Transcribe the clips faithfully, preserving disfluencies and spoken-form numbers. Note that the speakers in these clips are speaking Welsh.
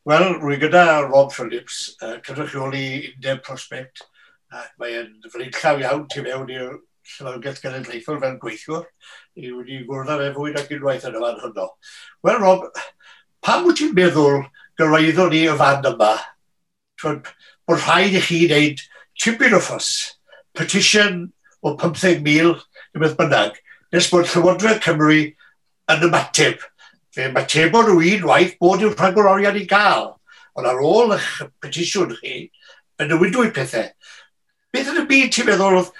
Wel, rwy gyda Rob Phillips, uh, cynrychioli Undeb Prospect, ac mae'n flaenllaw iawn tu mewn i'r Llyfrgell Genedlaethol fel gweithiwr. I wedi gwrdd â fe fwy nag unwaith yn y fan hwnnw. Wel, Rob, pam wyt ti'n meddwl gyrraeddon ni y fan yma? Twyd, bod rhaid i chi wneud tipyn o ffys, petition o pymtheg mil, neu beth bynnag, nes bod Llywodraeth Cymru yn ymateb. Fe ymatebon nhw unwaith bod yw'r rhagor oriad i gael. Ond ar ôl eich petisiwn chi, fe newidwyd pethau. Beth yn y byd ti'n meddwl oedd...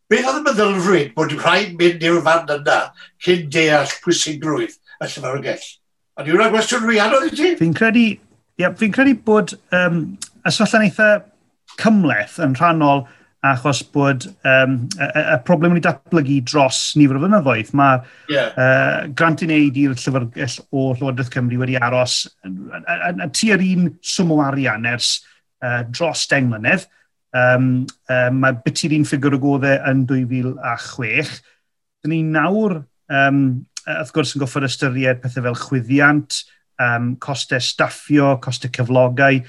Beth oedd y meddylfryd bod rhaid mynd i'r fan yna cyn deall pwysigrwydd y llyfrgell? A di hwnna'n gwestiwn rhy anodd i ti? Fi'n credu, ia, fi'n credu bod um, y sefyllfa'n eitha cymhleth yn rhannol achos bod um, y, y, y problem wedi datblygu dros nifer o flynyddoedd. Mae yeah. uh, grant i wneud i'r llyfrgell o Llywodraeth Cymru wedi aros tua'r un swm o arian ers uh, dros deng mlynedd. Um, um, mae biti'r un ffigur o goddau yn dwy fil a chwech. Dyn ni nawr, um, wrth gwrs, yn goffod ystyried pethau fel chwyddiant, um, costau staffio, costau cyflogau,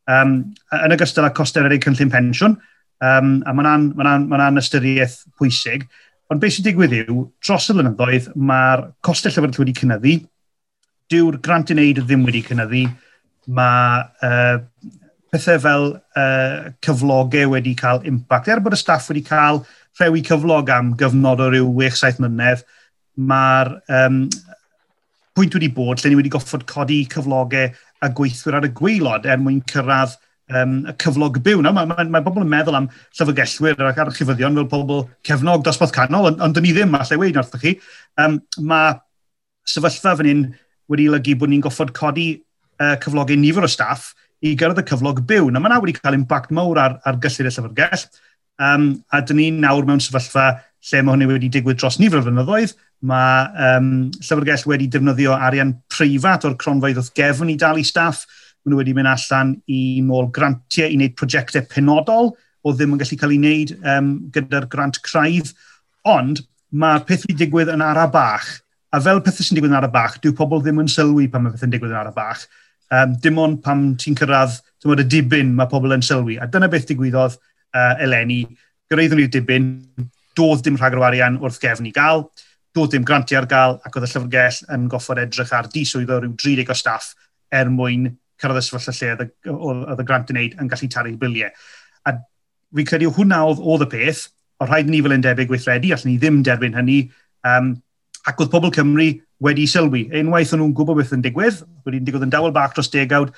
um, yn ogystal â costau rhedeg cynllun pensiwn, um, a mae'n ma ma ystyriaeth pwysig. Ond beth sy'n digwydd yw, dros y blynyddoedd, mae'r costau llyfrgell wedi cynyddu, dyw'r grant i wneud ddim wedi cynyddu, mae uh, pethau fel uh, cyflogau wedi cael impact. Er bod y staff wedi cael rhewi cyflog am gyfnod o ryw chwech saith mlynedd, mae'r um, pwynt wedi bod lle ni wedi goffod codi cyflogau a gweithwyr ar y gwaelod er mwyn cyrraedd um, y cyflog byw. Nawr, mae, mae, mae bobl yn meddwl am llyfrgellwyr ac archifyddion fel pobl cefnog dosbarth canol, ond, ond dyn ni ddim, allai weud wrthych chi. Um, mae sefyllfa fan hyn wedi olygu bod ni'n goffod codi uh, cyflogau nifer o staff i gyrraedd y cyflog byw. Nawr, mae yna wedi cael impact mawr ar, ar gyllid y llyfrgell, um, a dyn ni nawr mewn sefyllfa lle mae hynny wedi digwydd dros nifer o flynyddoedd. Mae um, llyfrgell wedi defnyddio arian preifat o'r cronfeydd wrth gefn i dalu staff. Maen nhw wedi mynd allan i nôl grantiau i wneud prosiectau penodol o ddim yn gallu cael ei wneud um, gyda'r grant craidd. Ond mae peth wedi digwydd yn ara bach. A fel pethau sy'n digwydd yn ara bach, dyw pobl ddim yn sylwi pan mae pethau'n digwydd yn ara bach. Um, dim ond pam ti'n cyrraedd tymod, y dibyn mae pobl yn sylwi. A dyna beth digwyddodd uh, eleni. Gyrraeddwn ni'r dibyn, doedd dim rhagor o arian wrth gefn i gael, doedd dim grantiau ar gael, ac oedd y llyfrgell yn goffod edrych ar diswyddo rhyw dri deg o staff er mwyn cyrraedd y sefyllfa lle oedd y grant yn wneud yn gallu talu biliau. A fi'n credu hwnna oedd, oedd y peth, o rhaid ni fel undebau gweithredu, allwn ni ddim derbyn hynny, um, ac oedd pobl Cymru wedi sylwi. Unwaith o'n nhw'n gwybod beth yn digwydd, wedi'n digwydd yn dawel bach dros degawd,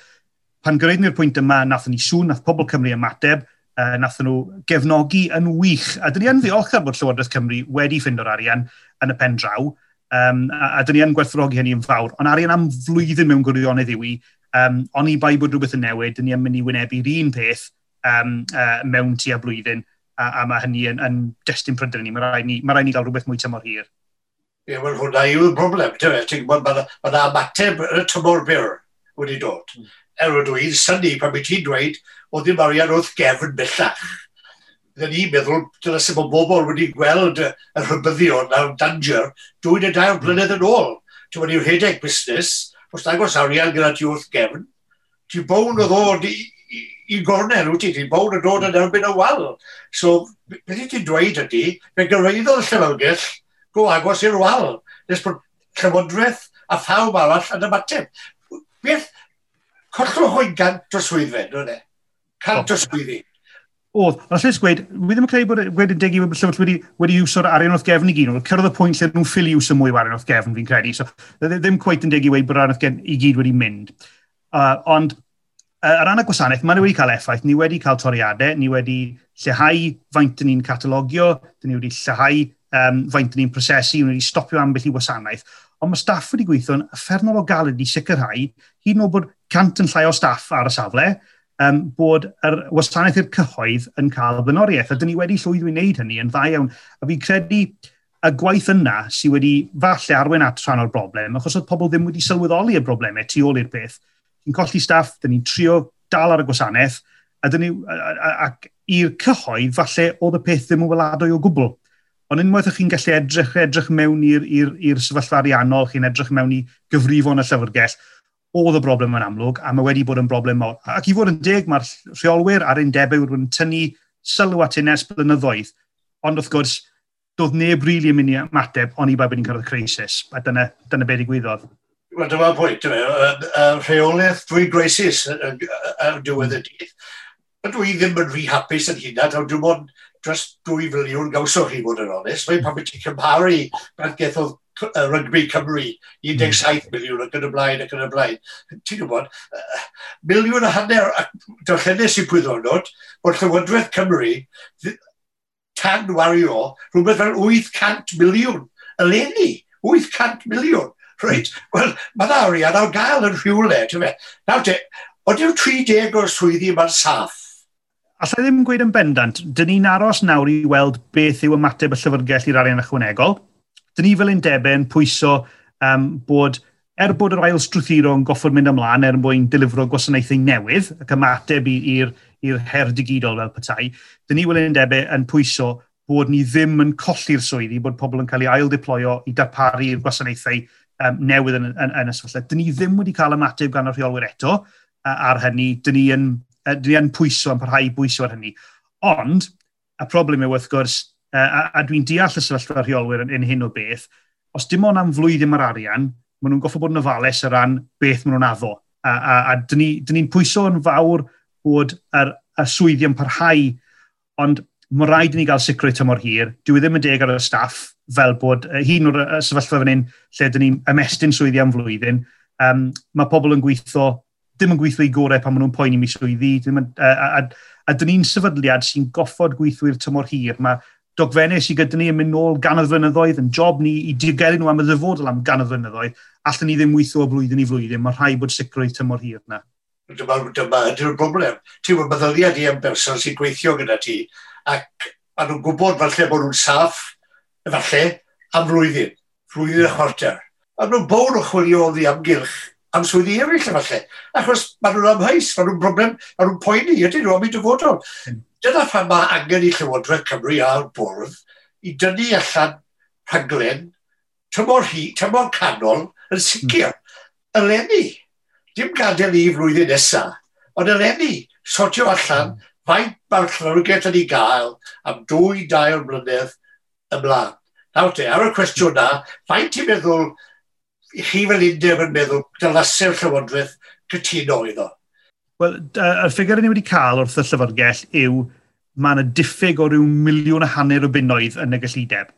pan gyrraeddon ni'r pwynt yma, nathon ni sŵn, nath pobl Cymru ymateb, uh, nathon nhw gefnogi yn wych. A dyn ni yn ddiolchgar bod Llywodraeth Cymru wedi ffindo'r arian yn y pen draw, um, a, a dyn ni yn gwerthfawrogi hynny yn fawr. Ond arian am flwyddyn mewn gwirionedd yw i, um, oni bai bod rhywbeth yn newid, dyn ni yn mynd i wynebu'r un peth um, uh, mewn tua blwyddyn, a, a mae hynny yn, yn destun pryder ni. Mae rhaid ni, mae rhaid ni gael rhywbeth mwy tymor hir. Ie, wel, hwnna yw'r broblem. Ti'n gwybod, mae yna ymateb yn y tymor byr wedi dod. Mm. Er ydw i'n synnu pan wyt ti'n dweud, oedd ddim arian wrth gefn bellach. Bydden ni'n meddwl, dyna sut mae bobl wedi gweld y rhybuddion a'r danger dwy neu dair blynedd yn ôl. Ti'n mynd i rhedeg busnes, os nag oes arian gyda ti wrth gefn, ti'n bown o ddod i, i, i gornel, wyt ti? Ti'n bown o dod yn erbyn y wal. So, beth ti'n dweud ydy, fe gyrraeddodd y llyfrgell go agos i'r wal, nes bod Llywodraeth a phawb arall yn ymateb. Beth, collwch o'i gant o swyddfed, nhw'n e? Cant o swyddi. Oedd, ond allai gweud, wi ddim yn credu bod wedi degu bod llyfrgell wedi, wedi iwso'r arian wrth gefn i gyd. Oedd cyrraedd y pwynt lle nhw'n ffili iwso mwy o arian wrth gefn, fi'n credu. So, ddim cweit yn degu i weud bod arian wrth gefn i gyd wedi mynd. Uh, ond, uh, ar ran y gwasanaeth, maen nhw wedi cael effaith. Ni wedi cael toriadau, ni wedi lleihau faint dyn ni'n catalogio, dyn ni wedi lleihau um, faint ni'n prosesu, ni wedi stopio ambell i wasanaeth. Ond mae staff wedi gweithio'n uffernol o galed i sicrhau, hyd yn oed bod cant yn llai o staff ar y safle, um, bod yr wasanaeth i'r cyhoedd yn cael blaenoriaeth. A dyn ni wedi llwyddo i wneud hynny yn dda iawn. A fi'n credu y gwaith yna sydd wedi falle arwain at rhan o'r broblem, achos oedd pobl ddim wedi sylweddoli y broblemau tu ôl i'r peth. Ni'n colli staff, dyn ni'n trio dal ar y gwasanaeth, a dyn ni, ac i'r cyhoedd, falle oedd y peth ddim yn weladwy o gwbl. Ond unwaith ych chi'n gallu edrych, edrych mewn i'r, i'r, i'r sefyllfa ariannol, chi'n edrych mewn i gyfrifon y llyfrgell, Oedd y broblem yn amlwg, a mae wedi bod yn broblem mawr. Ac i fod yn deg, mae'r rheolwyr a'r undebau wedi bod yn tynnu sylw at hyn ers blynyddoedd. Ond wrth gwrs, doedd neb rili yn mynd i ymateb, oni bai bod ni'n cyrraedd crisis. A dyna, dyna be digwyddodd. Wel, dyma'r pwynt, dyma, rheolaeth drwy greisis ar diwedd y dydd. Ydw i ddim yn rhy hapus yn hynna, dim ond dros dwy filiwn gawsoch chi fod yn onest. Mae'n pan ti'n cymharu beth gethodd Rygbi Cymru, un deg saith miliwn ac yn y blaen ac yn y blaen. Ti'n gwybod, miliwn a hanner, ac darllenes i pwy ddwrnod, bod Llywodraeth Cymru tan wario rhywbeth fel wyth cant miliwn eleni. wyth cant miliwn. Reit, wel, mae yna arian ar gael yn rhywle. Ti'n fe? Nawr te, oeddi'r tri deg o'r swyddi yma'n saff? Alla i ddim gweud yn bendant, dyn ni'n aros nawr i weld beth yw ymateb y llyfrgell i'r arian ychwanegol. Dyn ni fel undebau yn pwyso um, bod, er bod yr ail strwythuro yn goffod mynd ymlaen er mwyn delifro gwasanaethau newydd ac ymateb i'r her digidol fel petai, dyn ni fel undebau yn pwyso bod ni ddim yn colli'r swyddi, bod pobl yn cael ei ail-deployo i darparu'r gwasanaethau um, newydd yn, yn, yn y sefyllfa. Dyn ni ddim wedi cael ymateb gan y rheolwyr eto ar hynny. Dyn ni yn, dyn ni yn pwyso, yn parhau i bwyso ar hynny. Ond, y problem yw wrth gwrs, a, a dwi'n deall y sefyllfa rheolwyr yn, yn hyn o beth, os dim ond am flwyddyn mae'r arian, maen nhw'n goffo bod yn ofalus o ran beth maen nhw'n addo. A, a, a dyn ni'n ni pwyso yn fawr bod yr, y swyddi yn parhau, ond mae rhaid i ni gael sicrwydd tymor hir. Dyw e ddim yn deg ar y staff, fel bod hyn o'r sefyllfa fan hyn lle dyn ni'n ymestyn swyddi am flwyddyn. Um, mae pobl yn gweithio, ddim yn gweithio i gorau pan maen nhw'n poeni am swyddi. Ddim yn, a, a, a, a dyn ni'n sefydliad sy'n goffod gweithwyr tymor hir. Mae dogfennau sydd gyda ni yn mynd nôl gannoedd flynyddoedd, yn job ni i diogelu nhw am y ddyfodol am gannoedd flynyddoedd, allan ni ddim weithio o blwyddyn i flwyddyn, mae rhaid bod sicrwydd tymor hir yna. Dyma, dyma ydy'r broblem. Ti'n gwybod, meddylia di am berson sy'n gweithio gyda ti, ac maen nhw'n gwybod falle bod nhw'n saff, efallai, am flwyddyn, flwyddyn a chwarter. Maen nhw'n bown o chwilio oddi amgylch am swyddi eraill efallai. Achos maen nhw'n amheus, maen nhw'n broblem, maen nhw'n poeni, ydyn nhw am eu dyfodol. Dyna pam mae angen i Llywodraeth Cymru a'r bwrdd i dynnu allan rhaglen tymor, hi, tymor canol yn sicr. Mm. Eleni, dim gadael i flwyddyn nesaf, ond eleni, sortio allan mm. faint mae'r llyfrgell yn ei gael am dwy, dair mlynedd ymlaen. Nawr te, ar y cwestiwn na, faint ti'n meddwl, chi fel undeb yn meddwl, dylase'r Llywodraeth cytuno iddo? Wel, y ffigur ni wedi cael wrth y llyfrgell yw mae yna diffyg o ryw miliwn a hanner o bunnoedd yn y gyllideb.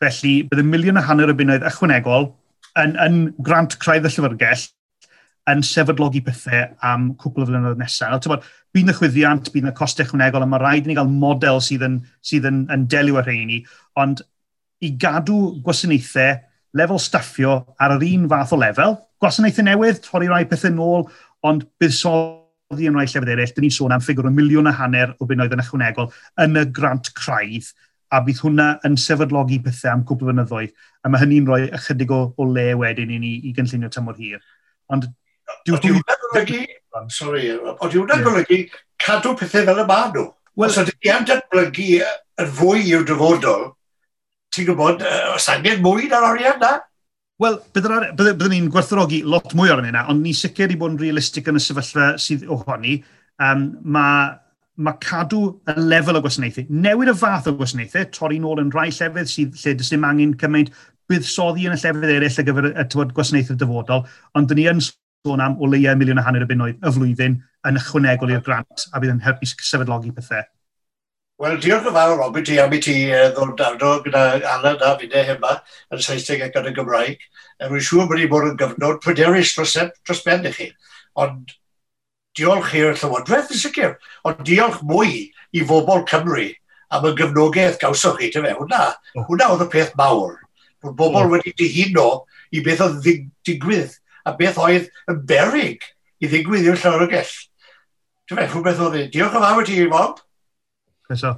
Felly, bydd y miliwn a hanner o bunnoedd ychwanegol yn, yn grant craidd y llyfrgell yn sefydlogi pethau am cwpl o flynyddoedd nesaf. Nawr, bydd yna chwyddiant, bydd yna costau ychwanegol, a mae rhaid i ni gael model sydd yn, sydd yn, yn delio â rheini, ond i gadw gwasanaethau lefel staffio ar yr un fath o lefel, gwasanaethau newydd, torri rai pethau nôl, ond buddsoddi yn rhai llefydd eraill, dyn ni'n sôn am ffigwr o miliwn a hanner o bunnoedd yn ychwanegol yn y grant craidd, a bydd hwnna yn sefydlogi pethau am cwpl o flynyddoedd, a mae hynny'n rhoi ychydig o, o le wedyn i ni i gynllunio tymor hir. Ond Dyw hwnna'n golygu, sorry, ond dyw hwnna'n golygu cadw pethau fel y maen nhw? Well, os ydych chi am datblygu yn fwy i'w dyfodol, ti'n gwybod, os angen mwy na'r arian na? Wel, byddwn byddwn ni'n gwerthfawrogi lot mwy o'r yna, ond ni sicr i bod yn realistig yn y sefyllfa sydd ohoni. Um, mae ma cadw y lefel o gwasanaethau, newid y fath o gwasanaethau, torri nôl yn rhai llefydd sydd lle does dim angen cymaint, buddsoddi yn y llefydd eraill ar gyfer y, y tywod, gwasanaethau dyfodol, ond dyn ni yn sôn am o leia miliwn a hanner o bunnoedd y flwyddyn yn ychwanegol i'r grant, a bydd yn helpu sefydlogi pethau. Wel, diolch yn fawr, Robin, ti am i ti ddod arno gyda Alan a finne yma yn Saesneg ac yn y Gymraeg. Rwy'n siŵr bod ni bod yn gyfnod pryderus dros, dros ben i chi. Ond diolch i'r Llywodraeth yn sicr, ond diolch mwy i bobl Cymru am y gefnogaeth gawsoch chi, tyfe. Hwna, hwnna oedd y peth mawr. Bod bobl mm. wedi dihuno i beth oedd digwydd a beth oedd yn berig i ddigwydd i'r llyfrgell. Tyfe, rhywbeth oedd e. Diolch yn fawr i ti, Bob. Croeso.